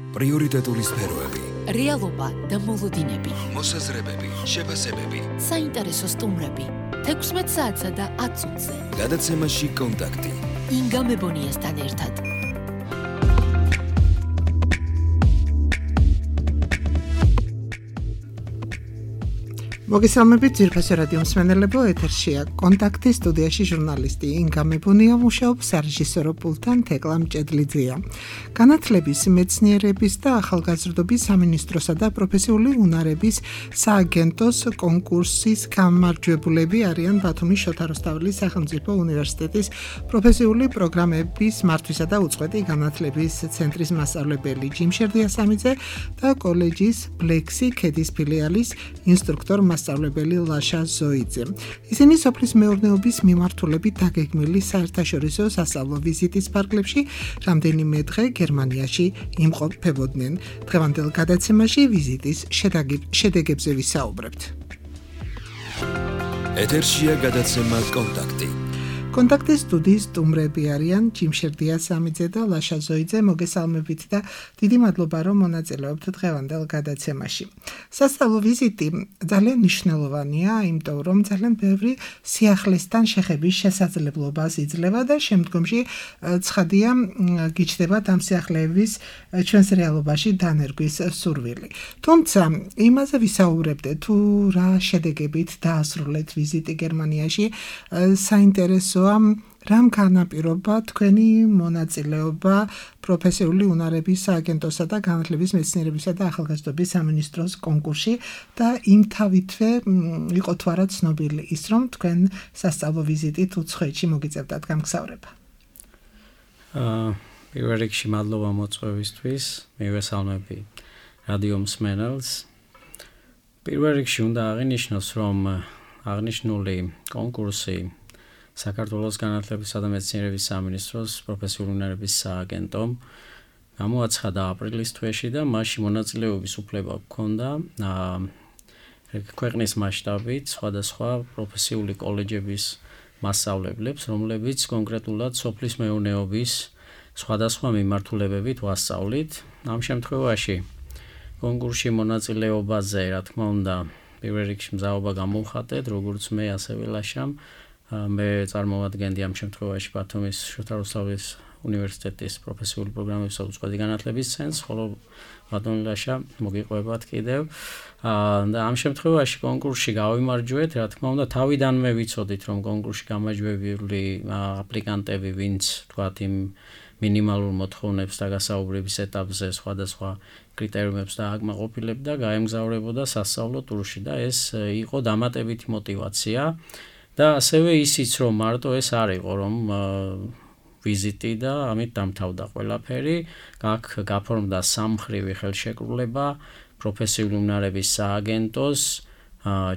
პრიორიტეტული სფეროები, რეალობა და მოლოდინები, მოსაზრებები, შეფასებები, საინტერესო სტუმრები, 16 საათსა და 10 წუთზე. გადაცემაში კონტაქტი. ინგა მებონიასთან ერთად. მოგესალმებით ძვირფასო რადიო მსმენელებო, ეთერშია კონტაქტი, სტუდიაში ჟურნალისტი ინგა მებონია მუშაობს, სარეჟისორო პულტთან თეკლა მჭედლიძეა. განათლების, მეცნიერების და ახალგაზრდობის სამინისტროსა და პროფესიული უნარების სააგენტოს კონკურსის გამარჯვებულები არიან ბათუმის შოთა რუსთაველის სახელმწიფო უნივერსიტეტის პროფესიული პროგრამების მართვისა და უწყვეტი განათლების ცენტრის მასწავლებელი ჯიმშერ დიასამიძე და კოლეჯის ბლექსი ქედის ფილიალის ინსტრუქტორ მასწავლებელი ლაშა ზოიძე. ისინი სოფლის მეურნეობის მიმართულებით დაგეგმილი საერთაშორისო სასწავლო ვიზიტის ფარგლებში რამდენიმე დღე გერმანიაში იმყოფებოდნენ. დღევანდელ გადაცემაში ვიზიტის შედეგებზე ვისაუბრებთ. ეთერშია გადაცემა კონტაქტი. კონტაქტის სტუდიის სტუმრები არიან ჯიმშერ დიასამიძე და ლაშა ზოიძე. მოგესალმებით და დიდი მადლობა რომ მონაწილეობთ დღევანდელ გადაცემაში. სასწავლო ვიზიტი ძალიან მნიშვნელოვანია, იმიტომ რომ ძალიან ბევრი სიახლესთან შეხების შესაძლებლობას იძლევა და შემდგომში ცხადია გიჩნდებათ ამ სიახლეების ჩვენს რეალობაში დანერგვის სურვილი. თუმცა იმაზე ვისაუბრებდეთ, თუ რა შედეგებით დაასრულეთ ვიზიტი გერმანიაში, საინტერესო რამ განაპირობა თქვენი მონაწილეობა პროფესიული უნარების სააგენტოსა და განათლების, მეცნიერებისა და ახალგაზრდობის სამინისტროს კონკურსში და იმ თავითვე იყო თუ არა ცნობილი ის, რომ თქვენ სასწავლო ვიზიტით უცხოეთში მოგიწევდათ გამგზავრება. პირველ რიგში მადლობა მოწვევისთვის, მივესალმები რადიო მსმენელს. პირველ რიგში უნდა აღინიშნოს, რომ აღნიშნული კონკურსი საქართველოს განათლებისა და მეცნიერების სამინისტროს პროფესიული უნარების სააგენტომ გამოაცხადა აპრილის თვეში და მასში მონაწილეობის უფლება ჰქონდა ქვეყნის მასშტაბით სხვადასხვა პროფესიული კოლეჯების მასწავლებლებს, რომლებიც კონკრეტულად სოფლის მეურნეობის სხვადასხვა მიმართულებებით ვასწავლით. ამ შემთხვევაში კონკურსში მონაწილეობაზე, რა თქმა უნდა, პირველ რიგში მზაობა გამოვხატეთ, როგორც მე, ასევე ლაშამ. მე წარმოვადგენდი ამ შემთხვევაში ბათუმის შოთა რუსთაველის უნივერსიტეტის პროფესიული პროგრამების უწყვეტი განათლების ცენტრს, ხოლო ბატონი ლაშა მოგიყვებათ კიდევ. და ამ შემთხვევაში კონკურსში გავიმარჯვეთ, რა თქმა უნდა, თავიდანვე ვიცოდით, რომ კონკურსში გამარჯვებული აპლიკანტები, ვინც თქვათ იმ მინიმალურ მოთხოვნებს და გასაუბრების ეტაპზე სხვადასხვა კრიტერიუმებს დააკმაყოფილებდა, გაემგზავრებოდა სასწავლო ტურში და ეს იყო დამატებითი мотиваცია. და ასევე ისიც, რომ მარტო ეს არ იყო, რომ ვიზიტი და ამით დამთავრდა ყველაფერი. აქ გაფორმდა სამმხრივი ხელშეკრულება პროფესიული უნარების სააგენტოს,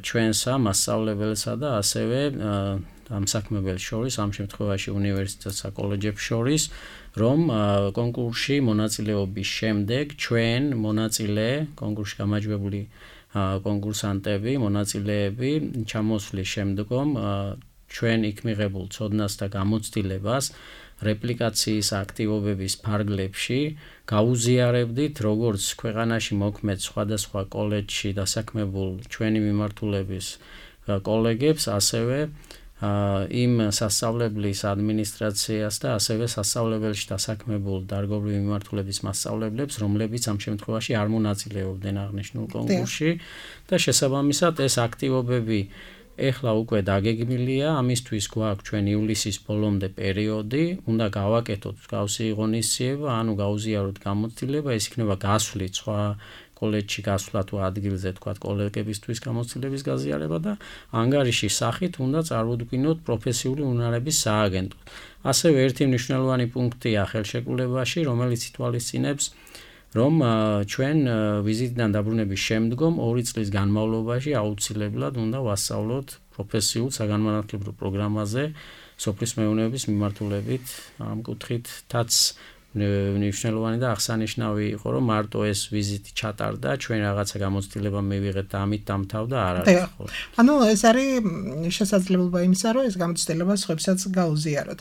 ჩვენსა მასწავლებელსა და ასევე ამსაქმებელს შორის, ამ შემთხვევაში უნივერსიტეტსა კოლეჯებს შორის, რომ კონკურსში მონაწილეობის შემდეგ ჩვენ მონაწილე კონკურსში გამარჯვებული კონკურსანტები, მონაწილეები ჩამოსვლის შემდგომ ჩვენ იქ მიღებულ ცოდნას და გამოცდილებას რეპლიკაციის აქტივობების ფარგლებში გაუზიარებდით, როგორც ქვეყანაში მოქმედ სხვადასხვა კოლეჯში დასაქმებულ ჩვენი მიმართულების კოლეგებს, ასევე იმ სასწავლებლის ადმინისტრაციას და ასევე სასწავლებელში დასაქმებულ დარგობრივი მიმართულების მასწავლებლებს, რომლებიც ამ შემთხვევაში არ მონაწილეობდნენ აღნიშნულ კონკურსში და შესაბამისად ეს აქტივობები ეხლა უკვე დაგეგმილია, ამისთვის გვაქვს ჩვენ ივლისის ბოლომდე პერიოდი, უნდა გავაკეთოთ მსგავსი ღონისძიება, ანუ გაუზიაროთ გამოცდილება, ეს იქნება გასვლით სხვა კოლეჯში გასვლა თუ ადგილზე თქვათ კოლეგებისთვის გამოცდილების გაზიარება და ანგარიშის სახით უნდა წარმოგვიდგინოთ პროფესიული უნარების სააგენტო. ასევე ერთი მნიშვნელოვანი პუნქტია ხელშეკრულებაში, რომელიც ითვალისწინებს, რომ ჩვენ ვიზიტიდან დაბრუნების შემდგომ 2 წლის განმავლობაში აუცილებლად უნდა ვასწავლოთ პროფესიულ საგანმანათლებლო პროგრამაზე სოფლის მეურნეობის მიმართულებით, ამ კუთხითაც მნიშვნელოვანი და აღსანიშნავი იყო, რომ მარტო ეს ვიზიტი ჩატარდა, ჩვენ რაღაცა გამოცდილება მივიღეთ და ამით დამთავრდა, არ არის ხო? ანუ ეს არის შესაძლებლობა იმისა, რომ ეს გამოცდილება სხვებსაც გაუზიაროთ.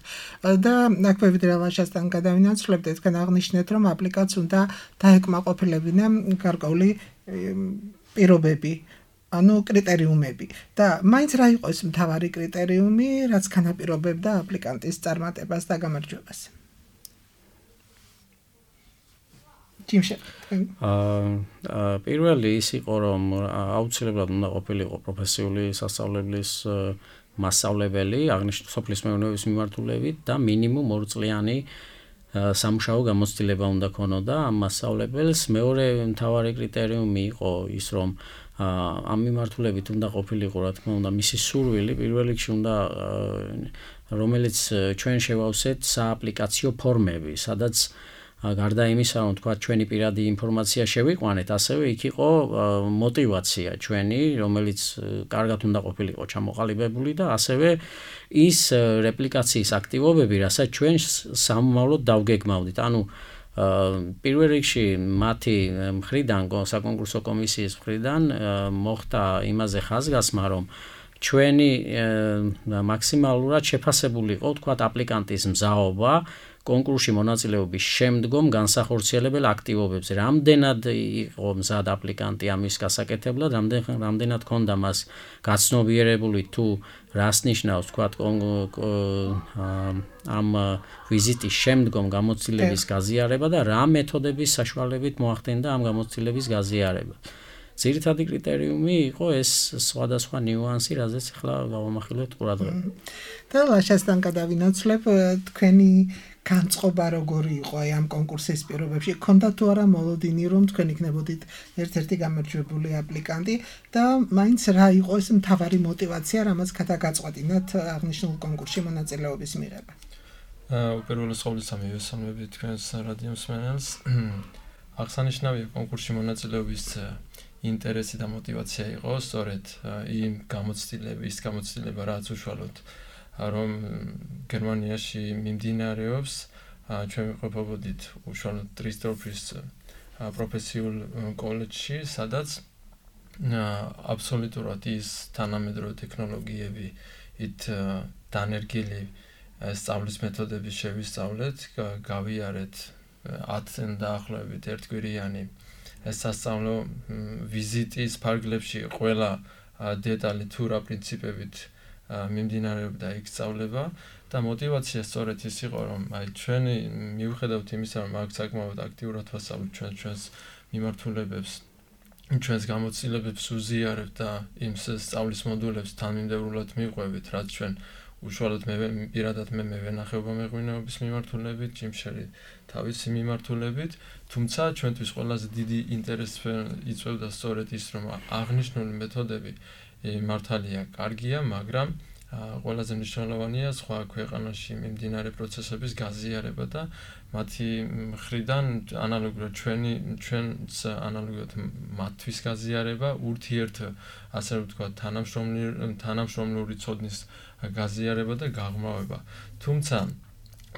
და აქვე ვიდრე ლაშასთან გადავინაცვლებთ, თქვენ აღნიშნეთ, რომ აპლიკაციას უნდა დაეკმაყოფილებინა გარკვეული პირობები. ანუ კრიტერიუმები და მაინც რა იყო ეს მთავარი კრიტერიუმი, რაც განაპირობებდა აპლიკანტის წარმატებას და გამარჯვებას? პირველი ის იყო, რომ აუცილებლად უნდა ყოფილიყო პროფესიული სასწავლებლის მასწავლებელი, აღნიშნული სოფლის მეურნეობის მიმართულებით და მინიმუმ 2 წლიანი სამუშაო გამოცდილება უნდა ქონოდა ამ მასწავლებელს. მეორე მთავარი კრიტერიუმი იყო ის, რომ ამ მიმართულებით უნდა ყოფილიყო, რა თქმა უნდა, მისი სურვილი პირველ რიგში უნდა რომელიც ჩვენ შევავსეთ სააპლიკაციო ფორმები, სადაც გარდა იმისა, რომ თქვა ჩვენი პირადი ინფორმაცია შევიყვანეთ, ასევე იქ იყო мотиваცია ჩვენი, რომელიც კარგად უნდა ყოფილიყო ჩამოყალიბებული და ასევე ის რეპლიკაციის აქტივობები, რასაც ჩვენ სამომავლოდ დავგეგმავდით. ანუ პირველ რიგში მათი მხრიდან, საკონკურსო კომისიის მხრიდან მოხდა იმაზე ხაზგასმა, რომ ჩვენი მაქსიმალურად შეფასებული იყო, თქვა, აპლიკანტის მზაობა კონკურსში მონაწილეობის შემდგომ განსახორციელებელ აქტივობებზე. რამდენად იყო მზად აპლიკანტი ამის გასაკეთებლად, რამდენად ქონდა მას გაცნობიერებული თუ რას ნიშნავს, თქვა, ამ ვიზიტის შემდგომ გამოცდილების გაზიარება და რა მეთოდების საშუალებით მოახდენდა ამ გამოცდილების გაზიარება. ძირითადი კრიტერიუმი იყო ეს სხვადასხვა ნიუანსი, რაზეც ახლა გავამახვილებთ ყურადღება. და ლაშასთან გადავინაცვლებ, თქვენი განწყობა როგორი იყო ამ კონკურსის პირობებში? ქონდა თუ არა მოლოდინი, რომ თქვენ იქნებოდით ერთ-ერთი გამარჯვებული აპლიკანტი და მაინც რა იყო ეს მთავარი мотиваცია, რამაც გადაგაწყვეტინათ აღნიშნულ კონკურსში მონაწილეობის მიღება? უპირველეს ყოვლისა მივესალმებით თქვენს რადიო მსმენელს. აღსანიშნავია კონკურსში მონაწილეობის ინტერესი და мотиваცია იყო სწორედ იმ გამოცდილება, რაც უშუალოდ რომ გერმანიაში მიმდინარეობს, ჩვენ ვიყოფებოდით უშუალოდ ტრისდორფის პროფესიულ კოლეჯში, სადაც აბსოლუტურად ის თანამედროვე ტექნოლოგიები ით დანერგილი სწავლის მეთოდები შევისწავლეთ, გავიარეთ 10-დან დაახლოებით ერთკვირიანი სასწავლო ვიზიტის ფარგლებში ყველა დეტალი თუ რა პრინციპებით მიმდინარეობდა იქ სწავლება და мотиваცია სწორედ ის იყო, რომ ჩვენი მიუხედავად იმისა, რომ აქ საკმაოდ აქტიურად ვასწავლეთ ჩვენს მიმართულებებს, ჩვენს გამოცდილებებს უზიარებთ და იმ სწავლის მოდულებს თანმიმდევრულად მიყვებით, რაც ჩვენ უშუალოდ პირადად მე ვენახეობა მეღვინეობის მიმართულებით, ჯიმშერი თავისი მიმართულებით, თუმცა ჩვენთვის ყველაზე დიდი ინტერესი იწვევდა სწორედ ის, რომ აღნიშნული მეთოდები მართალია კარგია, მაგრამ ყველაზე მნიშვნელოვანია სხვა ქვეყანაში მიმდინარე პროცესების გაზიარება და მათი მხრიდან ანალოგიურად ჩვენს ანალოგიურად მათთვის გაზიარება, ურთიერთ ასე ვთქვათ თანამშრომლური ცოდნის გაზიარება და გაღრმავება. თუმცა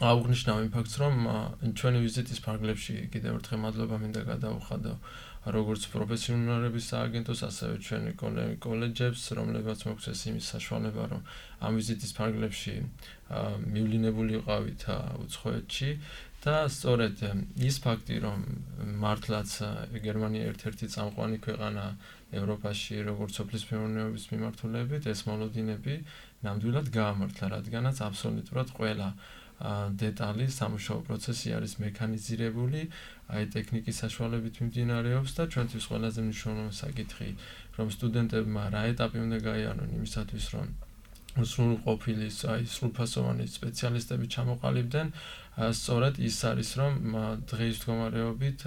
აღნიშნავ იმ ფაქტს, რომ ჩვენი ვიზიტის ფარგლებში კიდევ ერთხელ მადლობა მინდა გადაუხადო როგორც პროფესიონალების სააგენტოს, ასევე ჩვენი კოლეჯებს, რომლებიც მოგვცეს იმის საშუალება, რომ ამ ვიზიტის ფარგლებში მივლინებულიყავით უცხოეთში და სწორედ ის ფაქტი, რომ მართლაც გერმანია ერთ-ერთი წამყვანი ქვეყანა ევროპაში, როგორც სოფლის მეურნეობის მიმართულებით, ეს მოლოდინები ნამდვილად გაამართლა, რადგანაც აბსოლუტურად ყველა დეტალი სამუშაო პროცესი არის მექანიზირებული, ტექნიკის საშუალებით მიმდინარეობს და ჩვენთვის ყველაზე მნიშვნელოვანი საკითხი, რომ სტუდენტებმა რა ეტაპი უნდა გაიარონ იმისათვის, რომ სრულყოფილი, სრულფასოვანი სპეციალისტები ჩამოყალიბდნენ, სწორედ ის არის, რომ დღის მდგომარეობით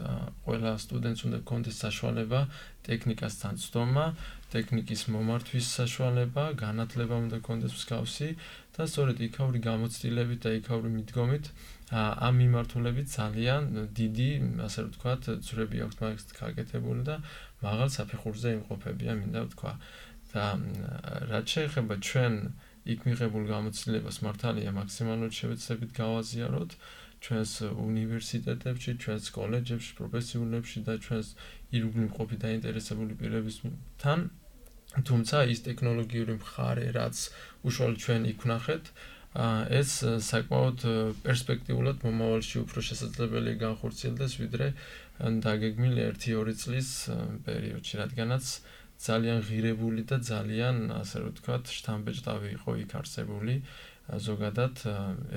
ყველა სტუდენტს უნდა ჰქონდეს საშუალება ტექნიკასთან ცდომა, ტექნიკის მომართვის საშუალება, განათლება უნდა ჰქონდეს მსგავსი და სწორედ იქაური გამოცდილებით და იქაური მიდგომით ამ მიმართულებით ძალიან დიდი, ასე ვთქვათ, ძვრები აქვს მაგას გაკეთებული და მაღალ საფეხურზე იმყოფებიან, მინდა ვთქვა. და რაც შეეხება ჩვენ იქ მიღებულ გამოცდილებას, მართალია მაქსიმალურად შევეცდებით გავაზიაროთ, ჩვენს უნივერსიტეტებში, ჩვენს კოლეჯებში, პროფესიულებში და ჩვენს ირგვლივ მყოფი დაინტერესებული პირებისთან. თუმცა ის ტექნოლოგიური მხარე, რაც უშუალოდ ჩვენ იქ ვნახეთ, ეს საკმაოდ პერსპექტიულად მომავალში უფრო შესაძლებელი განხორციელდეს, ვიდრე დაგეგმილი 1-2 წლის პერიოდში, რადგანაც ძალიან ღირებული და ძალიან, ასე რომ ვთქვათ, შთამბეჭდავი იყო იქ არსებული ზოგადად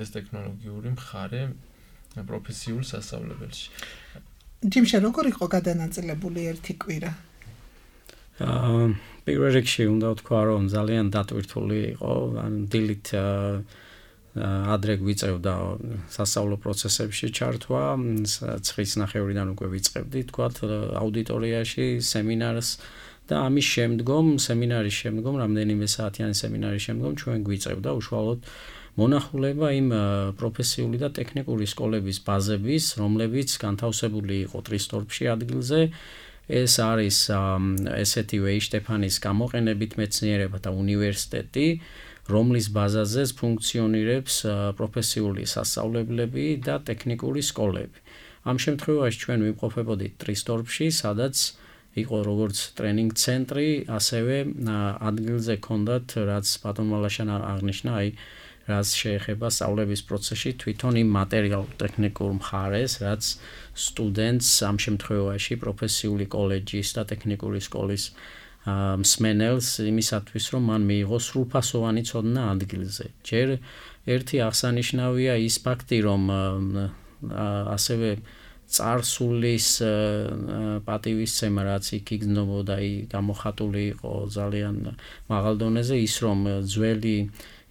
ეს ტექნოლოგიური მხარე პროფესიულ სასწავლებელში. ჯიმშე, როგორ იყო გადანაწილებული ერთი კვირა? პირველ რიგში უნდა ვთქვა, რომ ძალიან დატვირთული იყო, ან დილით ადრე გვიწევდა სასწავლო პროცესებში ჩართვა, 9:30-დან უკვე ვიწყებდით, თქვათ, აუდიტორიაში სემინარს და ამის შემდგომ, სემინარის შემდგომ, რამდენიმე საათიანი სემინარის შემდგომ ჩვენ გვიწევდა უშუალოდ მონახულება იმ პროფესიული და ტექნიკური სკოლების ბაზების, რომლებიც განთავსებული იყო ტრისტორფში ადგილზე. ეს არის ესეთივე შტეფანის გამოყენებით მეცნიერებათა უნივერსიტეტი, რომლის ბაზაზეც ფუნქციონირებს პროფესიული სასწავლებლები და ტექნიკური სკოლები. ამ შემთხვევაში ჩვენ ვიმყოფებოდით ტრისტორფში, სადაც იყო როგორც ტრენინგ ცენტრი, ასევე ადგილზე ჰქონდათ, რაც ბატონმა ლაშანა აღნიშნა, რაც შეეხება სწავლების პროცესში თვითონ იმ მატერიალურ-ტექნიკურ მხარეს, რაც სტუდენტს ამ შემთხვევაში პროფესიული კოლეჯის და ტექნიკური სკოლის მსმენელს იმისათვის, რომ მან მიიღოს სრულფასოვანი ცოდნა ადგილზე. ჯერ ერთი აღსანიშნავია ის ფაქტი, რომ ასევე წარსულის პატივისცემა, რაც იქ იგრძნობოდა, გამოხატული იყო ძალიან მაღალ დონეზე, ის რომ ძველი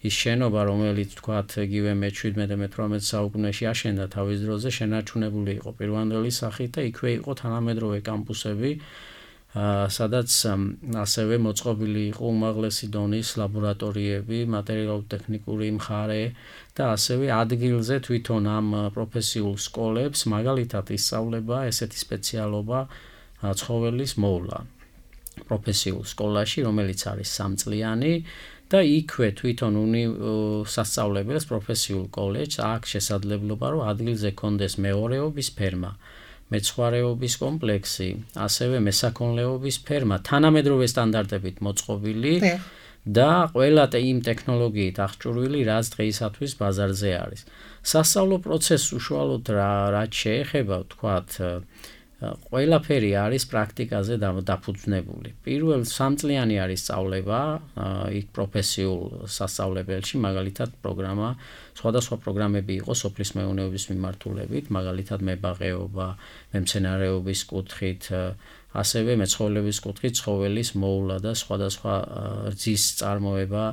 ის შენობა, რომელიც თქვათ, იგივე მე-17-18 საუკუნეში აშენდა თავის დროზე, შენარჩუნებული იყო პირვანდელი სახით და იქვე იყო თანამედროვე კამპუსები, სადაც ასევე მოწყობილი იყო უმაღლესი დონის ლაბორატორიები, მატერიალურ-ტექნიკური მხარე და ასევე ადგილზე თვითონ ამ პროფესიულ სკოლებს მაგალითად ისწავლება ესეთი სპეციალობა ცხოველის მოვლა პროფესიულ სკოლაში, რომელიც არის 3 წლიანი და იქვე თვითონ სასწავლებელს პროფესიულ კოლეჯს აქვს შესაძლებლობა, რომ ადგილზე კონდეს მეორეობის ფერმა, მეცხვარეობის კომპლექსი, ასევე მესაქონლეობის ფერმა, თანამედროვე სტანდარტებით მოწყობილი და ყველა იმ ტექნოლოგიით აღჭურვილი, რაც დღეისათვის ბაზარზე არის. სასწავლო პროცესს უშუალოდ რაც შეეხება, ვთქვათ, ყველაფერი არის პრაქტიკაზე დაფუძნებული. პირველ 3 წლიანი არის სწავლება იქ პროფესიულ სასწავლებელში, მაგალითად პროგრამა, სხვადასხვა პროგრამები იყო სოფლის მეურნეობის მიმართულებით, მაგალითად მებაღეობა, მემცენარეობის კუთხით, ასევე მეცხოველების კუთხით ცხოველის მოვლა და სხვადასხვა რძის წარმოება,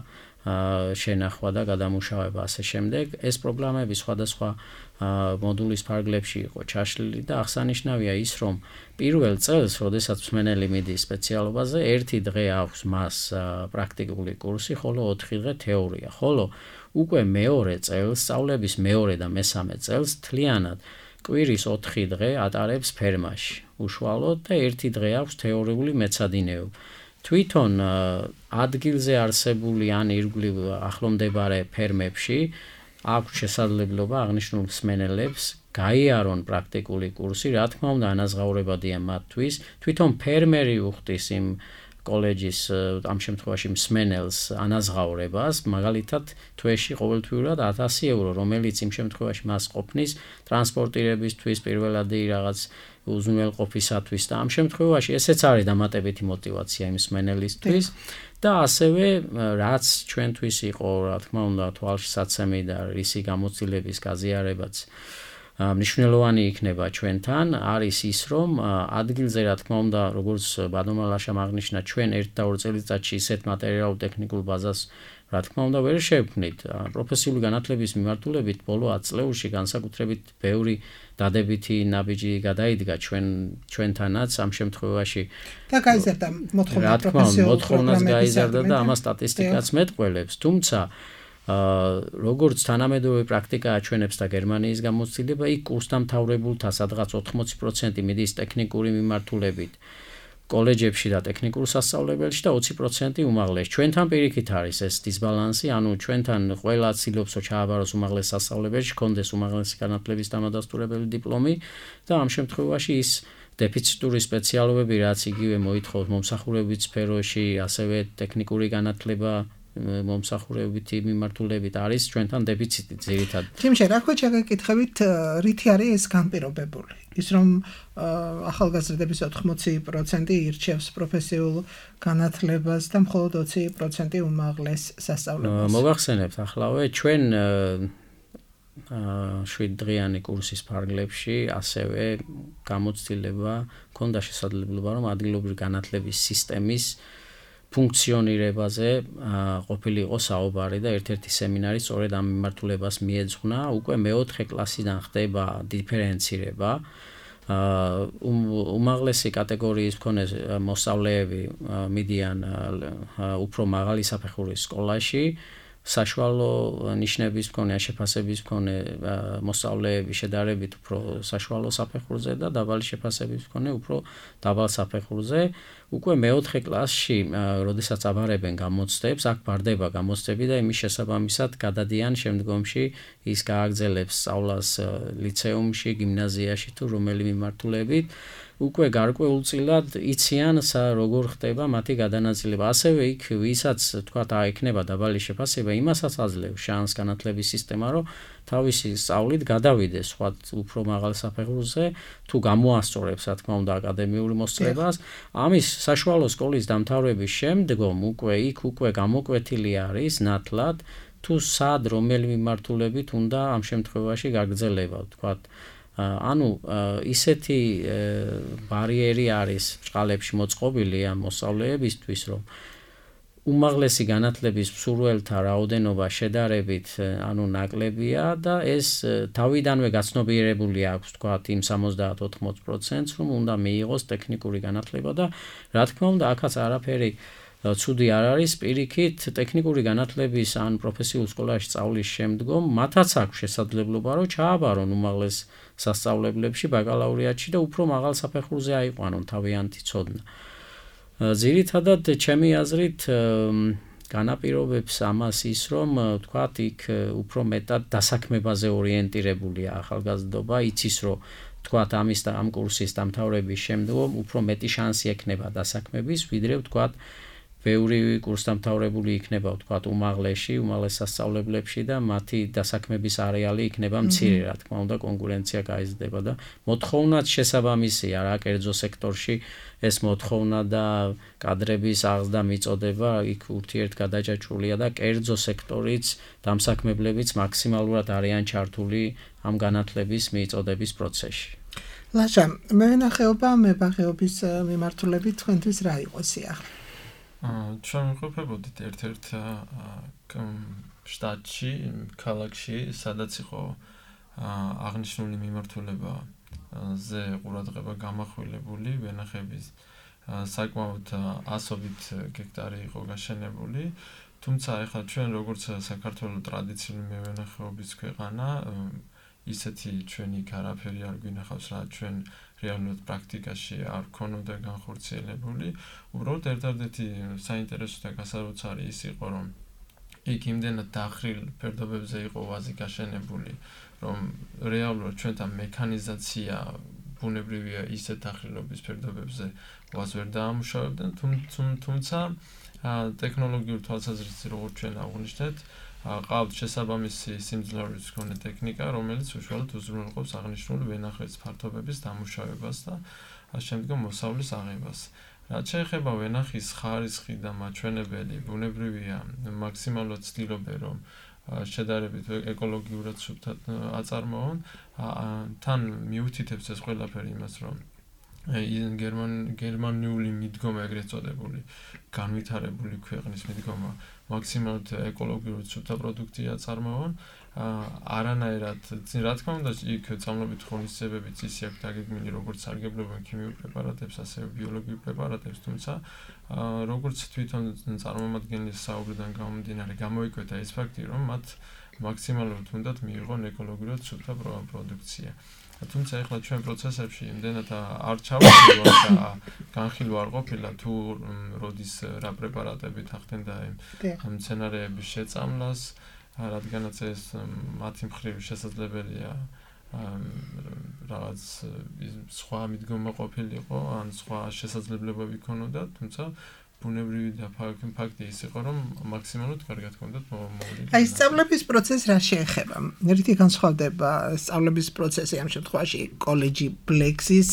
შენახვა და გადამუშავება ასე შემდეგ. ეს პროგრამები სხვადასხვა მოდულის ფარგლებში იყო ჩაშლილი და აღსანიშნავია ის, რომ პირველ წელს, როდესაც მსმენელი მიდის სპეციალობაზე, 1 დღე აქვს მას პრაქტიკული კურსი, ხოლო 4 დღე თეორია. ხოლო უკვე მეორე წელს, სწავლების მეორე და მესამე წელს თლიანად კვირის 4 დღე ატარებს ფერმაში, უშუალოდ და 1 დღე აქვს თეორიული მეცადინეობა. თვითონ ადგილზე არსებული ან ირგვლივ ახლომდებარე ფერმებში აქვს შესაძლებლობა აღნიშნულ მსმენელებს გაიარონ პრაქტიკული კურსი, რა თქმა უნდა, ანაზღაურებადია მათთვის. თვითონ ფერმერი უხდის იმ კოლეჯის ამ შემთხვევაში მსმენელს ანაზღაურებას, მაგალითად თვეში ყოველთვიურად 1000 ევრო, რომელიც იმ შემთხვევაში მას ყოფნის ტრანსპორტირებისთვის, პირველადი რაღაც უზრუნველყოფისათვის და ამ შემთხვევაში ესეც არის დამატებითი мотиваცია იმ მსმენელისთვის და ასევე რაც ჩვენთვის იყო, რა თქმა უნდა, თვალშისაცემი და რისი გამოცდილების გაზიარებაც მნიშვნელოვანი იქნება ჩვენთან, არის ის, რომ ადგილზე, რა თქმა უნდა, როგორც ბატონმა ლაშამ აღნიშნა, ჩვენ 1 და 2 წელიწადში ისეთ მატერიალურ-ტექნიკურ ბაზას, რა თქმა უნდა, ვერ შევქმნით. პროფესიული განათლების მიმართულებით ბოლო 10 წლებში განსაკუთრებით ბევრი დადებითი ნაბიჯი გადაიდგა ჩვენთანაც ამ შემთხვევაში და გაიზარდა მოთხოვნა პროფესიულ მოთხოვნას გაიზარდა და ამას სტატისტიკაც მეტყველებს. თუმცა როგორც თანამედროვე პრაქტიკა აჩვენებს და გერმანიის გამოცდილება, იქ კურსდამთავრებულთა სადღაც 80% მიდის ტექნიკური მიმართულებით. კოლეჯებში და ტექნიკურ სასწავლებელში და 20% უმაღლეს. ჩვენთან პირიქით არის ეს დისბალანსი, ანუ ჩვენთან ყველა ცდილობსო ჩააბაროს უმაღლეს სასწავლებელში, კონდეს უმაღლესი განათლების დამადასტურებელი დიპლომი და ამ შემთხვევაში ის დეფიციტური სპეციალობები, რაც იგივე მოითხოვს მომსახურების სფეროში, ასევე ტექნიკური განათლება მომსახურებითი მიმართულებით არის ჩვენთან დეფიციტი ძირითადად. თიმშე, რა ქვია შეგეკითხებით, რითი არის ეს განპირობებული? ის რომ ახალგაზრდების 80% ირჩევს პროფესიულ განათლებას და მხოლოდ 20% უმაღლეს სასწავლებლებს. მოგახსენებთ ახლავე ჩვენ 7 დღიანი კურსის ფარგლებში ასევე გამოცდილება ქონდა შესაძლებლობა რომ ადგილობრივი განათლების სისტემის ფუნქციონირებაზე ყოფილიყო საუბარი და ერთ-ერთი სემინარი სწორედ ამ მიმართულებას მიეძღვნა. უკვე მეოთხე კლასიდან ხდება დიფერენცირება. უმაღლესი კატეგორიის მქონე მოსწავლეები მიდიან უფრო მაღალი საფეხურის სკოლაში. საშუალო ნიშნების მქონე შეფასების მქონე მოსწავლეები შედარებით უფრო საშუალო საფეხურზე და დაბალი შეფასების მქონე უფრო დაბალ საფეხურზე. უკვე მეოთხე კლასში, როდესაც აბარებენ გამოცდებს, აქ ბარდება გამოცდები და იმის შესაბამისად გადადიან შემდგომში ის გააგრძელებს სწავლას ლიცეუმში, გიმნაზიაში თუ რომელი მიმართულებით. უკვე გარკვეულწილად იციან როგორ ხდება მათი გადანაწილება. ასევე იქ ვისაც თქვათ აექნება დაბალი შეფასება, იმასაც აძლევს შანსს განათლების სისტემა, რომ თავისი სწავლით გადავიდეს სხვა უფრო მაღალ საფეხურზე, თუ გამოასწორებს, რა თქმა უნდა, აკადემიური მოსწრებას. ამის საშუალო სკოლის დამთავრების შემდგომ უკვე გამოკვეთილი არის ნათლად, თუ სად რომელი მიმართულებით უნდა ამ შემთხვევაში გაგრძელება, თქვათ. ანუ ისეთი ბარიერი არის ბჭყალებში მოწყობილი ამ მოსწავლეებისთვის, რომ უმაღლესი განათლების მსურველთა რაოდენობა შედარებით ნაკლებია და ეს თავიდანვე გაცნობიერებული აქვს, თქვათ, იმ 70-80%-ს, რომ უნდა მიიღოს ტექნიკური განათლება და რა თქმა უნდა, აქაც არაფერი ცუდი არ არის, პირიქით ტექნიკური განათლების ან პროფესიულ სკოლაში სწავლის შემდგომ მათაც აქვს შესაძლებლობა, რომ ჩააბარონ უმაღლეს სასწავლებლებში, ბაკალავრიატში და უფრო მაღალ საფეხურზე აიყვანონ თავიანთი ცოდნა. ძირითადად ჩემი აზრით განაპირობებს ამას ის, რომ თქვათ, იქ უფრო მეტად დასაქმებაზე ორიენტირებულია ახალგაზრდობა, იცის, რომ თქვათ, ამ კურსის დამთავრების შემდგომ უფრო მეტი შანსი ექნება დასაქმების, ვიდრე თქვათ, ბევრი კურსდამთავრებული იქნება, თქვათ, უმაღლეს სასწავლებლებში და მათი დასაქმების არეალი იქნება მცირე, რა თქმა უნდა, კონკურენცია გაიზრდება და მოთხოვნაც შესაბამისია რა კერძო სექტორში ეს მოთხოვნა და კადრების აღზრდა მიწოდება იქ ურთიერთგადაჭაჭულია და კერძო სექტორიც დამსაქმებლებიც მაქსიმალურად არიან ჩართული ამ განათლების მიწოდების პროცესში. ლაშა, მევენახეობა მებაღეობის მიმართულებით თქვენთვის რა იყო სიახლე? ჩვენ ვიყოფებოდით ერთ-ერთ შტატში, ქალაქში, სადაც იყო აღნიშნული მიმართულებაზე ყურადღება გამახვილებული, ვენახების საკმაოდ ასობით გექტარი იყო გაშენებული, თუმცა ეხლა ჩვენ როგორც საქართველოს ტრადიციული მევენახეობის ქვეყანა, ისეთი ჩვენი არაფერი არ გვინახავს, რა ჩვენ რეალურად პრაქტიკაში არ ქონოდა განხორციელებული. უბრალოდ ერთადერთი საინტერესო და გასაოცარი ის იყო, რომ იქ იმდენად დახრილ ფერდობებზე იყო ვაზი გაშენებული, რომ რეალურად ჩვენთან მექანიზაცია ბუნებრივია ისეთ დახრილობის ფერდობებზე ვაზ ვერ დაამუშავებდნენ, თუმცა ტექნოლოგიურ თვალსაზრისით როგორც ჩვენ აღვნიშნეთ, ყავთ შესაბამისი სიმძლავრის მქონე ტექნიკა, რომელიც უშუალოდ უზრუნველყოფს აღნიშნული ვენახების ფართობების დამუშავებას და შემდგომ მოსავლის აღებას. რაც შეეხება ვენახის ხარისხი და მაჩვენებელი, ბუნებრივია მაქსიმალურად ცდილობენ, რომ შედარებით ეკოლოგიურად სუფთად აწარმოონ, თან მიუთითებს ეს ყველაფერი იმას, რომ გერმანიული მიდგომა ეგრეთ წოდებული განვითარებული ქვეყნის მიდგომა მაქსიმალურად ეკოლოგიურად სუფთა პროდუქტია აწარმოონ, არანაირად, რა თქმა უნდა, იქ წამლობით ღონისძიებებიც ისე აქვს დაგეგმილი, როგორც სარგებლობენ ქიმიურ პრეპარატებს, ასევე ბიოლოგიურ პრეპარატებს, თუმცა როგორც თვითონ წარმომადგენლის საუბრიდან გამომდინარე, გამოიკვეთა ეს ფაქტი, რომ მათ მაქსიმალურად უნდათ მიიღონ ეკოლოგიურად სუფთა პროდუქცია. თუმცა ეხლა ჩვენ პროცესებში იმდენად არ ჩავხილვარ და განხილვა არ ყოფილა თუ როდის რა პრეპარატები თანხმდა ამ მცენარეების შეწამლას, რადგანაც ეს მათი მხრივ შესაძლებელია რაღაც სხვა მიდგომა ყოფილიყო, ან სხვა შესაძლებლობები ქონოდა, თუმცა ბუნებრივი და ფაქტი ის იყო, რომ მაქსიმალურად კარგად ჰქონდათ მოვლილი. აი, სწავლების პროცესს რა შეეხება? ერთი განსხვავდება სწავლების პროცესი ამ შემთხვევაში კოლეჯი Blexis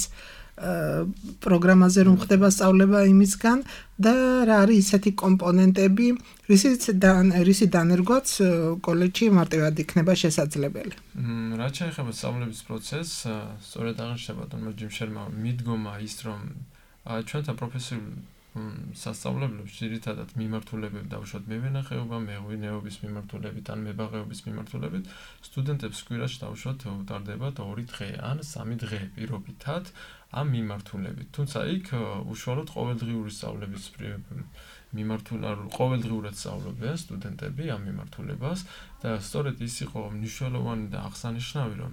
პროგრამაზე რომ ხდება სწავლება იმისგან და რა არის ისეთი კომპონენტები, რისი დანერგვაც კოლეჯში მარტივად იქნება შესაძლებელი. რაც შეეხება სწავლების პროცესს, სწორედ აღნიშნება თუნდაც ჯიმშერმა მიდგომა ის, რომ ჩვენთან პროფესიულ სასწავლებლებში ძირითადად მიმართულებები დავუშვათ მევენახეობა, მეღვინეობის მიმართულებით ან მებაღეობის მიმართულებით, სტუდენტებს კვირაში დავუშვათ უტარდება 2 დღე ან 3 დღე პირობითად ამ მიმართულებით. თუმცა იქ უშუალოდ ყოველდღიური სწავლების ყოველდღიურად სწავლობენ სტუდენტები ამ მიმართულებას და სწორედ ის იყო მნიშვნელოვანი და აღსანიშნავი, რომ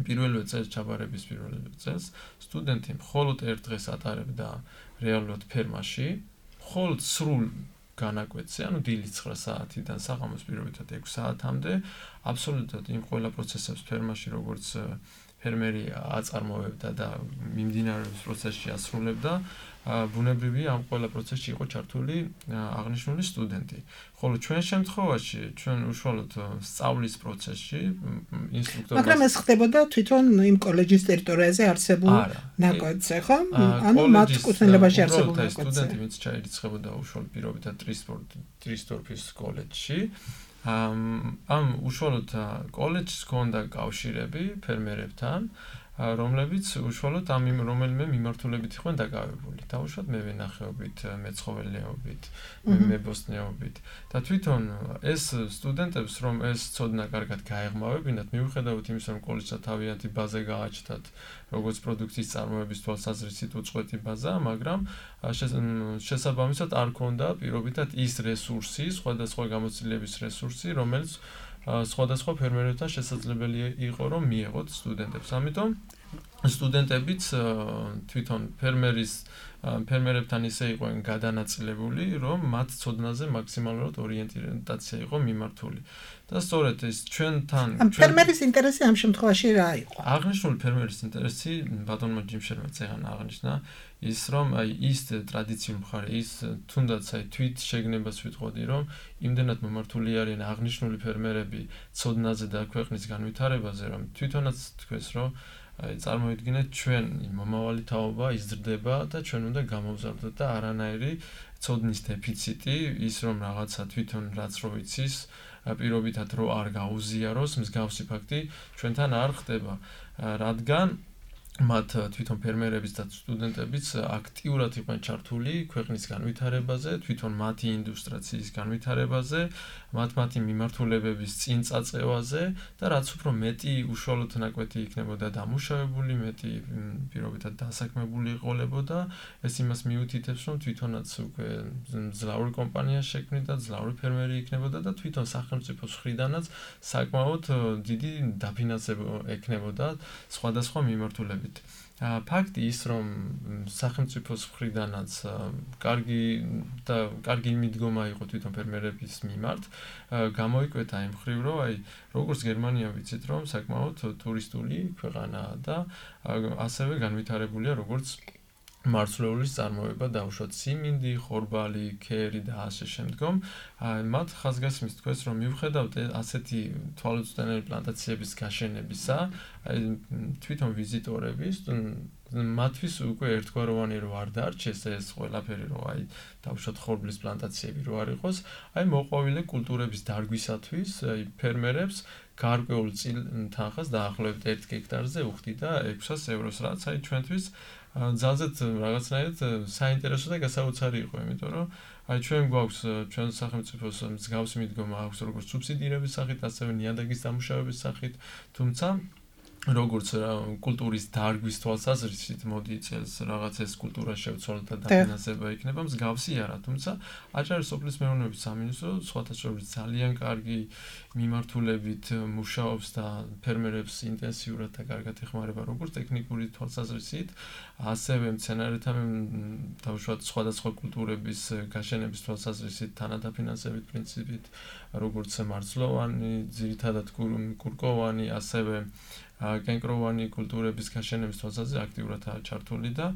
პირველივე წელს ჩაბარების პირველივე წელს სტუდენტი მხოლოდ 1 დღეს ატარებდა რეალურად ფერმაში, მხოლოდ სრულ განაკვეთზე, ანუ დილის 9 საათიდან საღამოს პირობითად 6 საათამდე, აბსოლუტურად იმ ყველა პროცესებს ფერმაში, როგორც ფერმერი აწარმოებდა და მიმდინარეობს პროცესში ასრულებდა, ბუნებრივია ამ ყველა პროცესში იყო ჩართული აღნიშნული სტუდენტი. ხოლო ჩვენ შემთხვევაში, ჩვენ უშუალოდ სწავლის პროცესში ინსტრუქტორმა მაგრამ ეს ხდებოდა თვითონ იმ კოლეჯის ტერიტორიაზე არსებულ ნაკვეთზე, ხო? ანუ მათ კუთვნილებაში არსებულ ნაკვეთზე. სტუდენტი ვინც ჩაირიცხებოდა უშუალოდ პირობითად ტრისტორფის კოლეჯში, ამ უშუალოდ კოლეჯს ჰქონდა კავშირები ფერმერებთან, რომლებიც უშუალოდ ამ რომელიმე მიმართულებით იყვნენ დაკავებული. დავუშვათ მევენახეობით, მეცხოველეობით, მებოსტნეობით და თვითონ ეს სტუდენტებს რომ ეს ცოდნა კარგად გაეღმავებინათ, მიუხედავად იმისა, რომ კოლეჯსა თავიანთი ბაზა გააჩნდათ, როგორც პროდუქციის წარმოების თვალსაზრისით უწყვეტი ბაზა, მაგრამ შესაბამისად არ ქონდა პირობითად ის რესურსი, სხვადასხვა გამოცდილების რესურსი, რომელიც სხვადასხვა ფერმერებთან შესაძლებელი იყო რომ მიეღოთ სტუდენტებს. ამიტომ სტუდენტებიც თვითონ ფერმერებთან ისე იყვნენ გადანაწილებული, რომ მათ ცოდნაზე მაქსიმალურად ორიენტაცია იყო მიმართული. და სწორედ ეს ჩვენთან ფერმერის ინტერესი ამ შემთხვევაში რა იყო? აღნიშნული ფერმერის ინტერესი ბატონმა ჯიმშერმა წეგან აღნიშნა ის რომ ის ტრადიციული მხარე ის თუნდაც თვით შეგნებას ვიტყოდი რომ იმდენად მომართული არიან აღნიშნული ფერმერები ცოდნაზე და ქვეყნის განვითარებაზე რომ თვითონაც თქვეს რომ წარმოვიდგინეთ ჩვენ მომავალი თაობა იზრდება და ჩვენ უნდა გამოვზარდოთ და არანაირი ცოდნის დეფიციტი ის რომ რაღაცა თვითონ რაც რო იცის პირობითად რო არ გაუზიაროს მსგავსი ფაქტი ჩვენთან არ ხდება რადგან მათ თვითონ ფერმერებიც და სტუდენტებიც აქტიურად იყვნენ ჩართული ქვეყნის განვითარებაზე, თვითონ მათი ინდუსტრიის განვითარებაზე, მათი მიმართულებების წინ წაწევაზე და რაც უფრო მეტი უშუალოდ ნაკვეთი იქნებოდა დამუშავებული, მეტი პირობითად დასაქმებული იყოლებოდა, ეს იმას მიუთითებს, რომ თვითონაც უკვე ძლავრი კომპანია შექმნიდა, ძლავრი ფერმერი იქნებოდა და თვითონ სახელმწიფოს მხრიდანაც საკმაოდ დიდი დაფინანსება ექნებოდა სხვადასხვა მიმართულებით. ფაქტი ის რომ სახელმწიფოს მხრიდანაც კარგი მიდგომა იყო თვითონ ფერმერების მიმართ გამოიკვეთა იმ მხრივ რომ აი როგორც გერმანია ვიცით რომ საკმაოდ ტურისტული ქვეყანაა და ასევე განვითარებულია როგორც მარცვლეულის წარმოება დაუშვათ სიმინდი, ხორბალი, ქერი და ასე შემდგომ მათ ხაზგასმის თქვეს რომ მიუხედავად ასეთი თვალუწვდენელი პლანტაციების გაშენებისა თვითონ ვიზიტორების მათთვის უკვე ერთგვაროვანი რო არ დარჩეს ეს ყველაფერი რო აი დაუშვათ ხორბლის პლანტაციები რო არ იყოს აი მოყვავილე კულტურების დარგვისათვის აი ფერმერებს გარკვეულ თანხას დაახლოებით 1 ჰექტარზე უხდიდა 600 ევროს რაც აი ჩვენთვის ძალზედ რაღაცნაირად საინტერესო და გასაოცარი იყო, იმიტომ რომ აი ჩვენ გვაქვს ჩვენ სახელმწიფოს მსგავსი მიდგომა აქვს როგორც სუბსიდირების სახით, ასევე ნიადაგის დამუშავების სახით, თუმცა როგორც კულტურის დარგვის თვალსაზრისით მოდი წელს რაღაც ეს კულტურა შევცვალოთ და დაფინანსება იქნება მსგავსი არა, თუმცა აჭარის სოფლის მეურნეობის სამინისტრო სხვათა შორის ძალიან კარგი მიმართულებით მუშაობს და ფერმერებს ინტენსიურად და კარგად ეხმარება როგორც ტექნიკური თვალსაზრისით, ასევე მცენარეთა თავშოთ სხვადასხვა კულტურების გაშენების თვალსაზრისით თანადაფინანსებით პრინციპით, როგორც მარცვლოვანი, ძირითადად კურკოვანი, ასევე კენკროვანი კულტურების გაშენების თვალსაზრისით აქტიურადაა ჩართული და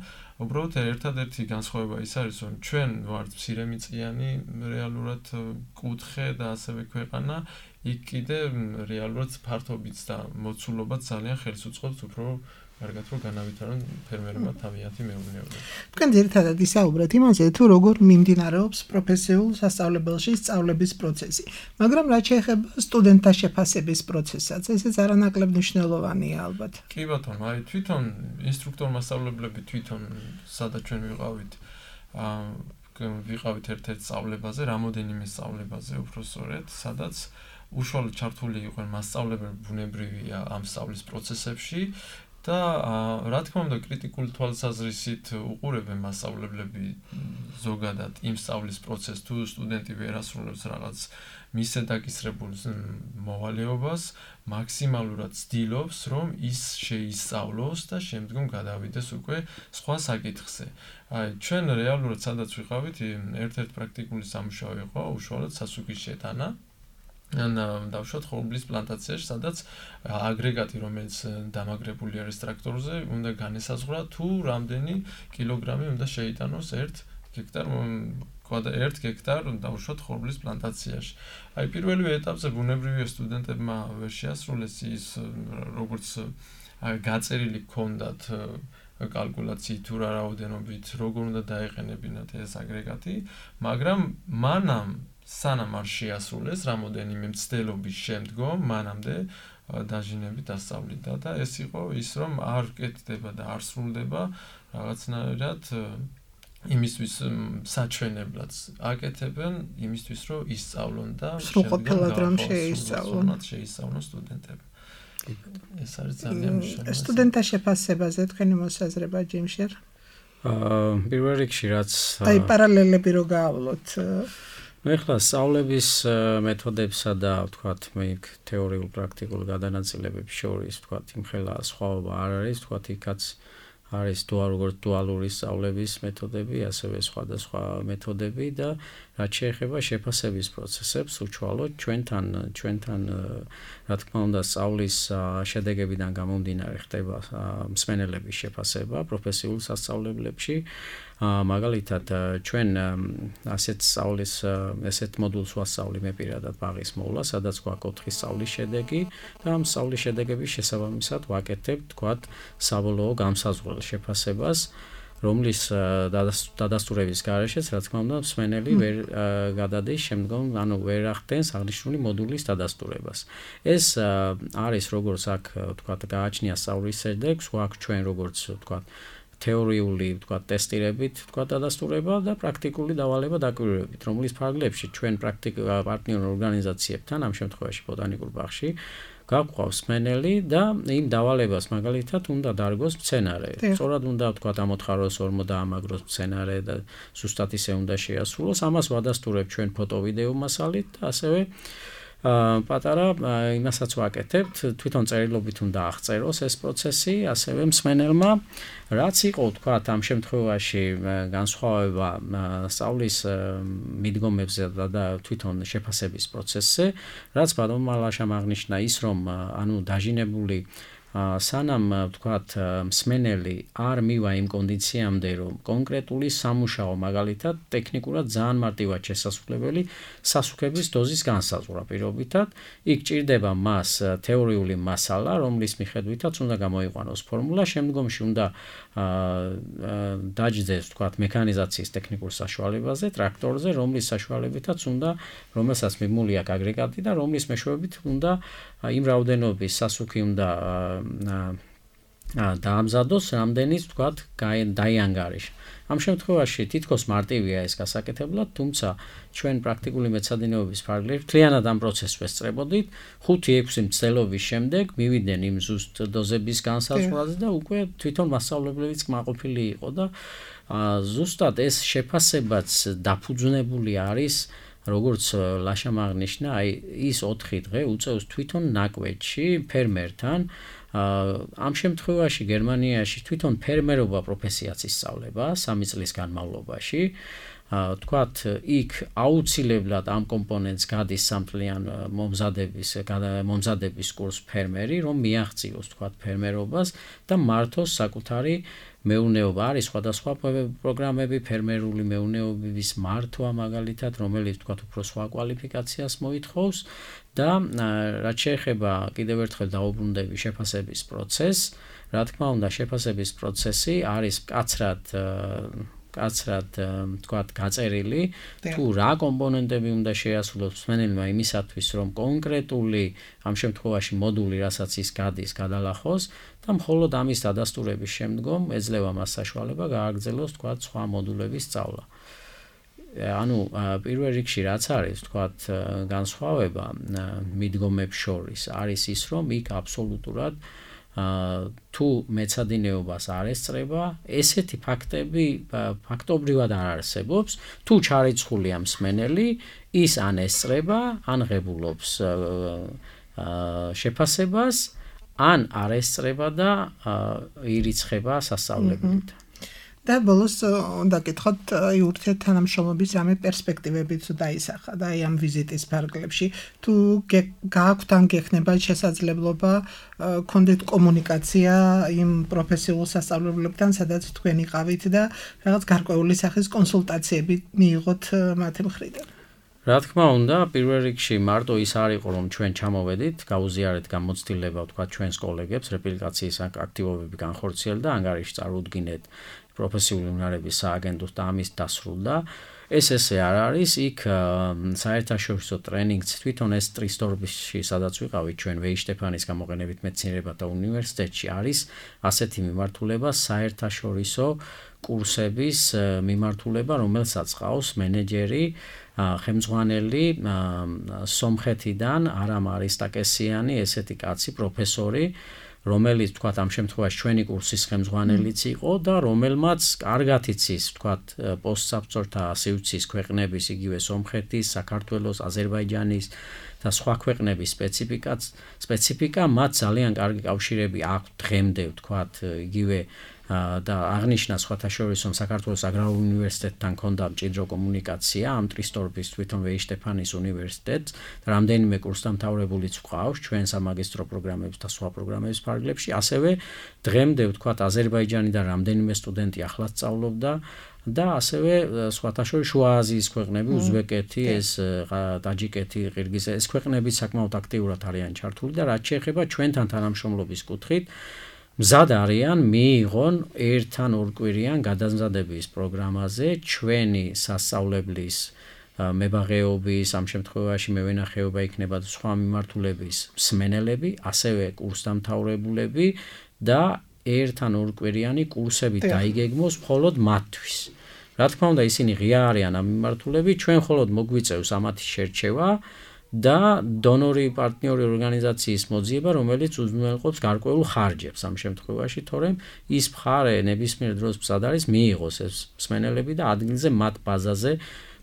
უბრალოდ ერთადერთი განსხვავება ის არის, რომ ჩვენ ვართ მცირემიწიანი რეალურად კუთხე და ასევე ქვეყანა, იქ კიდე რეალურად ფართობიც და მოცულობაც ძალიან ხელს უწყობს უფრო კარგად რომ განავითარონ ფერმერებმა თავიანთი მეურნეობა. თქვენ ძირითადად ისაუბრეთ იმაზე, თუ როგორ მიმდინარეობს პროფესიულ სასწავლებელში სწავლების პროცესი, მაგრამ რაც შეეხება სტუდენტთა შეფასების პროცესსაც, ესეც არანაკლებ მნიშვნელოვანია ალბათ. კი ბატონო, აი თვითონ ინსტრუქტორ მასწავლებლები თვითონ სადაც ჩვენ ვიყავით ერთ-ერთ სწავლებაზე, რამოდენიმე სწავლებაზე უფრო სწორედ, სადაც უშუალოდ ჩართული იყვნენ მასწავლებლები ბუნებრივია ამ სწავლის პროცესებში და რა თქმა უნდა კრიტიკული თვალსაზრისით უყურებენ მასწავლებლები ზოგადად იმ სწავლის პროცესს თუ სტუდენტი ვერ ასრულებს რაღაც მისზე დაკისრებულ მოვალეობას მაქსიმალურად ცდილობს რომ ის შეისწავლოს და შემდგომ გადავიდეს უკვე სხვა საკითხზე. აი ჩვენ რეალურად სადაც ვიყავით ერთ-ერთ პრაქტიკული სამუშაო იყო უშუალოდ სასუქის შეტანა დავუშვათ ხორბლის პლანტაციაში, სადაც აგრეგატი, რომელიც დამაგრებული არის ტრაქტორზე, უნდა განესაზღვრა თუ რამდენი კილოგრამი უნდა შეიტანოს 1 გექტარ დავუშვათ ხორბლის პლანტაციაში. აი პირველივე ეტაპზე ბუნებრივია სტუდენტებმა ვერ შეასრულეს ის როგორც გაწერილი ჰქონდათ კალკულაციით თუ რა რაოდენობით როგორ უნდა დაეყენებინათ ეს აგრეგატი, მაგრამ მანამ სანამ არ შეასრულეს რამოდენიმე მცდელობის შემდგომ მანამდე დაჟინები დასწავლიდა და ეს იყო ის რომ არ კეთდება და არ სრულდება რაღაცნაირად იმისთვის საჩვენებლად აკეთებენ იმისთვის რომ ისწავლონ და სრულყოფილად რომ შეისწავლონ სტუდენტები. ეს არის ძალიან მნიშვნელოვანი. სტუდენტთა შეფასებაზე თქვენი მოსაზრება ჯიმშერ? პირველ რიგში რაც აი პარალელები რო გაავლოთ ეხლა სწავლების მეთოდებსა და ვთქვათ თეორიულ პრაქტიკულ გადანაწილებებს შორის ვთქვათ იმხელა სხვაობა არ არის ვთქვათ იქაც არის როგორც დუალური სწავლების მეთოდები ასევე სხვადასხვა მეთოდები და რაც შეეხება შეფასების პროცესებს უშუალოდ ჩვენთან რა თქმა უნდა სწავლის შედეგებიდან გამომდინარე ხდება მსმენელების შეფასება პროფესიულ სასწავლებლებში მაგალითად ჩვენ ასეთ სწავლის ესეთ მოდულს ვასწავლი მე პირადად ბაღის მოვლა სადაც გვაქვს 4 სწავლის შედეგი და ამ სწავლის შედეგების შესაბამისად ვაკეთებ თქვათ საბოლოო გამსაზღვრელ შეფასებას რომლის დადასტურების გარეშეც რა თქმა უნდა მსმენელი ვერ გადადის შემდგომ ანუ ვერ ახდენს აღნიშნული მოდულის დადასტურებას ეს არის როგორც აქ თქვათ გააჩნია სწავლის შედეგს გვაქვს ჩვენ როგორც თქვათ თეორიული თქვათ ტესტირებით თქვათ დადასტურება და პრაქტიკული დავალება დაკვირვებით რომლის ფარგლებში ჩვენ პარტნიორ ორგანიზაციებთან ამ შემთხვევაში ბოტანიკურ ბაღში გაგვყავს მსმენელი და იმ დავალებას მაგალითად უნდა დარგოს მცენარე. სწორად უნდა თქვათ ამოთხაროს ორმო და ამაგროს მცენარე და ზუსტად ისე უნდა შეასრულოს. ამას ვადასტურებ ჩვენ ფოტო-ვიდეო მასალით და ასევე პატარა იმასაც ვაკეთებთ, თვითონ წერილობით უნდა აღწეროს ეს პროცესი, ასევე მსმენელმა რაც იყო თქვათ ამ შემთხვევაში განსხვავება სწავლის მიდგომებზე და თვითონ შეფასების პროცესზე, რაც ბატონმა ლაშამ აღნიშნა ის რომ ანუ დაჟინებული სანამ თქვათ მსმენელი არ მივა იმ კონდიციამდე რომ კონკრეტული სამუშაო მაგალითად ტექნიკურად ძალიან მარტივად შესაძლებელი სასუქების დოზის განსაზღვრა პირობითად იქ ჭირდება მას თეორიული მასალა რომლის მიხედვითაც უნდა გამოიყვანოს ფორმულა შემდგომში უნდა დაჯდეს თქვათ მექანიზაციის ტექნიკურ საშუალებაზე ტრაქტორზე რომლის საშუალებითაც უნდა რომელსაც მიმული აქვს აგრეგატი და რომლის მეშვეობით უნდა იმ რაოდენობის სასუქი უნდა დაამზადოს, რამდენიც ვთქვათ, დაიანგარიშა. ამ შემთხვევაში თითქოს მარტივია ეს გასაკეთებლად, თუმცა ჩვენ პრაქტიკული მეცადინეობის ფარგლებში მთლიანად ამ პროცესს ვესწრებოდით, 5-6 მცდელობის შემდეგ მივიდნენ იმ ზუსტ დოზების განსაზღვრაზე და უკვე თვითონ მასწავლებლებიც კმაყოფილი იყო და ზუსტად ეს შეფასებაც დაფუძნებული არის, როგორც ლაშამ აღნიშნა, აი ის 4 დღე უწევს თვითონ ნაკვეთში ფერმერთან. ამ შემთხვევაში გერმანიაში თვითონ ფერმერობა პროფესიაც ისწავლება 3 წლის განმავლობაში. თქვათ, იქ აუცილებლად ამ კომპონენტს გადის სამწლიან მომზადების კურს ფერმერი, რომ მიაღწიოს თქვათ ფერმერობას და მართოს საკუთარი მეურნეობა. არის სხვადასხვა პროგრამები ფერმერული მეურნეობის მართვა მაგალითად, რომელიც თქვათ უფრო სხვა კვალიფიკაციას მოითხოვს და რაც შეეხება კიდევ ერთხელ დაუბრუნდები შეფასების პროცესს, რა თქმა უნდა შეფასების პროცესი არის კაცრად თქვათ გაწერილი, თუ რა კომპონენტები უნდა შეასრულოს მსმენელმა იმისათვის, რომ კონკრეტული ამ შემთხვევაში მოდული, რასაც ის გადის, გადალახოს და მხოლოდ ამის დადასტურების შემდგომ ეძლევა მას საშუალება გააგრძელოს თქვათ სხვა მოდულების სწავლა. ანუ პირველ რიგში რაც არის თქვათ განსხვავება მიდგომებს შორის არის ის, რომ იქ აბსოლუტურად თუ მეცადინეობას არ ესწრება, ესეთი ფაქტები ფაქტობრივად არ არსებობს, თუ ჩარიცხულია მსმენელი, ის ან ესწრება, ან ღებულობს შეფასებას, ან არ ესწრება და ირიცხება სასწავლებლით. და ბოლოს უნდა გითხოთ ურთიერთ თანამშრომლობის რამე პერსპექტივები თუ დაისახა და აი ამ ვიზიტის ფარგლებში თუ გააქვთ ან გექნება შესაძლებლობა კონდეთ კომუნიკაცია იმ პროფესიულ სასწავლებლებთან, სადაც თქვენ იყავით და რაღაც გარკვეული სახის კონსულტაციები მიიღოთ მათი მხრიდან. რა თქმა უნდა, პირველ რიგში მარტო ის არ იყო, რომ ჩვენ ჩამოვედით, გაუზიარეთ გამოცდილება თქვა ჩვენს კოლეგებს, რეპლიკაციის აქტივობები განხორციელდა და ანგარიში წარუდგინეთ პროფესიული უნარების სააგენტოს და ამის დასრულდა. ეს ესე არ არის, იქ საერთაშორისო ტრენინგს თვითონ ეს ტრისდორფში, სადაც ვიყავით ჩვენ ვეიშტეფანის გამოყენებით მეცნიერებათა უნივერსიტეტში არის ასეთი მიმართულება საერთაშორისო კურსების მიმართულება, რომელსაც ყავს მენეჯერი ხელმძღვანელი სომხეთიდან არამ არისტაკესიანი ესეთი კაცი პროფესორი, რომელიც თქვათ ამ შემთხვევაში ჩვენი კურსის ხელმძღვანელიც იყო და რომელმაც კარგად იცის თქვათ პოსტსაბჭოთა სივრცის ქვეყნების, იგივე სომხეთის, საქართველოს, აზერბაიჯანის და სხვა ქვეყნების სპეციფიკა, მათ ძალიან კარგი კავშირები აქვს დღემდე თქვათ იგივე და აღნიშნა სხვათაშორისო საქართველოს აგრარულ უნივერსიტეტთან ქონდა მჭიდრო კომუნიკაცია ამ ტრისდორფის თვითონ ვეიშტეფანის უნივერსიტეტს და რამდენიმე კურსდამთავრებულიც ვყავს ჩვენ სამაგისტრო პროგრამებს და სხვა პროგრამების ფარგლებში, ასევე დღემდე ვთქვათ აზერბაიჯანიდან რამდენიმე სტუდენტი ახლა სწავლობდა და ასევე სხვათაშორის შუა აზიის ქვეყნები, უზბეკეთი, ტაჯიკეთი, ყირგიზეთი, ეს ქვეყნები საკმაოდ აქტიურად არიან ჩართული და რაც შეეხება ჩვენთან თანამშრომლობის კუთხით მზად არიან მიიღონ ერთ-ან ორკვირიან გადამზადების პროგრამაზე ჩვენი სასწავლებლის მებაღეობის, ამ შემთხვევაში მევენახეობა იქნება და სხვა მიმართულების მსმენელები, ასევე კურსდამთავრებულები და ერთ-ან ორკვირიანი კურსები დაიგეგმოს მხოლოდ მათთვის. რა თქმა უნდა, ისინი ღია არიან ამ მიმართულები, ჩვენ მხოლოდ მოგვიწევს ამათი შერჩევა და დონორი პარტნიორი ორგანიზაციის მოძიება, რომელიც უზრუნველყოფს გარკვეულ ხარჯებს ამ შემთხვევაში, თორემ ის მხარე ნებისმიერ დროს მზად არის მიიღოს ეს მსმენელები და ადგილზე მათ ბაზაზე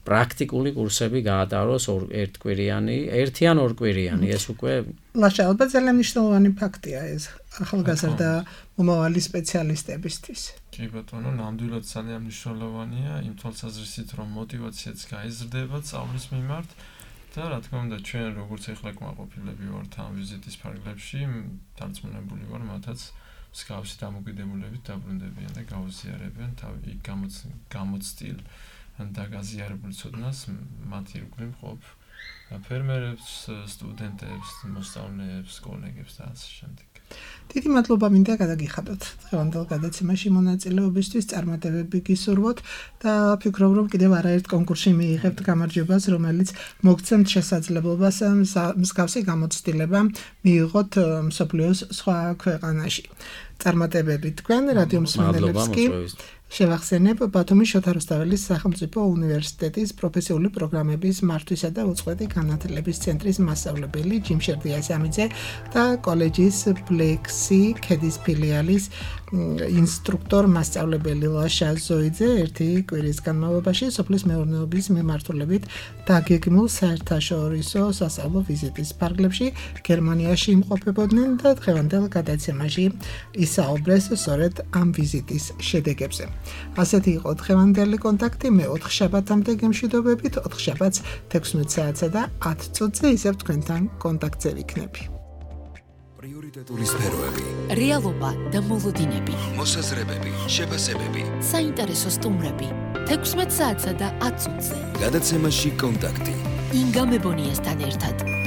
პრაქტიკული კურსები გაატაროს ერთი ან ორკვირიანი, ეს უკვე ლაშა, ალბათ ძალიან მნიშვნელოვანი ფაქტია ეს ახალგაზრდა მომავალი სპეციალისტებისთვის. კი ბატონო, ნამდვილად ძალიან მნიშვნელოვანია იმ თვალსაზრისით, რომ მოტივაციაც გაიზრდება სწავლის მიმართ და რა თქმა უნდა ჩვენ როგორც ახლა კმაყოფილები ვართ ამ ვიზიტის ფარგლებში, დარწმუნებული ვარ მათაც მსგავსი დამოკიდებულებით დაბრუნდებიან და გაუზიარებენ თავი გამოცდილ და გაზიარებულ ცოდნას მათ ირგვლივ მყოფ ფერმერებს, სტუდენტებს, მოსწავლეებს, კოლეგებს და ასე შემდეგ. დიდი მადლობა მინდა გადაგიხადოთ დღევანდელ გადაცემაში მონაწილეობისთვის, წარმატებები გისურვოთ და ვფიქრობ, რომ კიდევ არაერთ კონკურსში მიიღებთ გამარჯვებას, რომელიც მოგცემთ შესაძლებლობას მსგავსი გამოცდილება მიიღოთ მსოფლიოს სხვა ქვეყანაში. წარმატებები თქვენ, რადიო მსმენელებს კი შევახსენებ ბათუმის შოთა რუსთაველის სახელმწიფო უნივერსიტეტის პროფესიული პროგრამების მართვისა და უწყვეტი განათლების ცენტრის მასწავლებელი ჯიმ შერდიასამიძე და კოლეჯის ბლექსი ქედის ფილიალის ინსტრუქტორ მასწავლებელი ლაშა ზოიძე ერთი კვირის განმავლობაში სოფლის მეურნეობის მიმართულებით დაგეგმულ საერთაშორისო სასწავლო ვიზიტის ფარგლებში გერმანიაში იმყოფებოდნენ და დღევანდელ გადაცემაში ისაუბრეს სწორედ ამ ვიზიტის შედეგებზე. ასეთი იყო დღევანდელი კონტაქტი, მე 4 შაბათამდე გემშვიდობებით, 4 შაბათს 16 საათსა და 10 წუთზე ისევ თქვენთან კონტაქტზე ვიქნები. პრიორიტეტული სფეროები, რეალობა და მოლოდინები, მოსაზრებები, შეფასებები, საინტერესო სტუმრები, 16 საათსა და 10 წუთზე. გადაცემაში კონტაქტი. ინგა მებონიასთან ერთად.